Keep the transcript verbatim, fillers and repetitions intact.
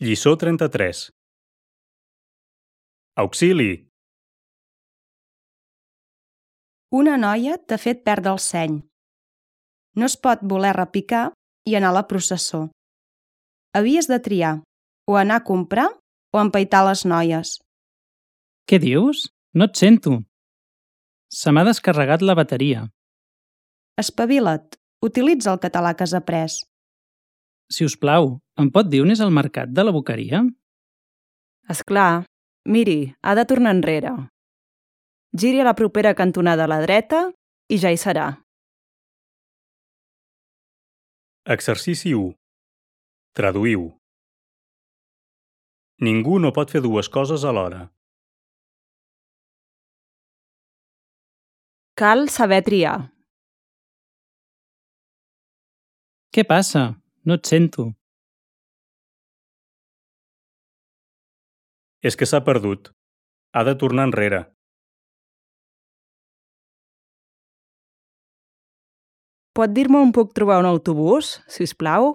Lliçó trenta-tres. Auxili! Una noia t'ha fet perdre el seny. No es pot voler repicar i anar a la processó. Havies de triar, o anar a comprar o empaitar les noies. Què dius? No et sento. Se m'ha descarregat la bateria. Espavila't, utilitza el català que has après. Si us plau, em pot dir on és el mercat de la Boqueria? És clar. Miri, ha de tornar enrere. Giri a la propera cantonada a la dreta i ja hi serà. Exercici u. Traduïu. Ningú no pot fer dues coses alhora. Cal saber triar. Què passa? No et sento. És que s'ha perdut. Ha de tornar enrere. Pot dir-me on puc trobar un autobús, si us plau?